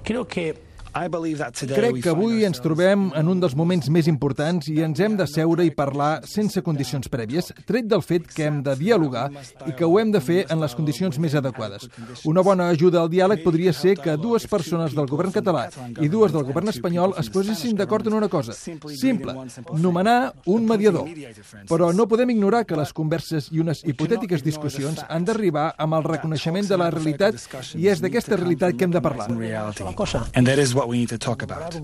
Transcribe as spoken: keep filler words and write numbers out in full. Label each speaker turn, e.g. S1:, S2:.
S1: Creo que
S2: Crec que avui ens trobem en un dels moments més importants i ens hem de seure i parlar sense condicions prèvies, tret del fet que hem de dialogar i que ho hem de fer en les condicions més adequades. Una bona ajuda al diàleg podria ser que dues persones del govern català i dues del govern espanyol es posessin d'acord en una cosa, simple, nomenar un mediador. Però no podem ignorar que les converses i unes hipotètiques discussions han d'arribar amb el reconeixement de la realitat i és d'aquesta realitat que hem de parlar.
S3: And that is what we need to talk about.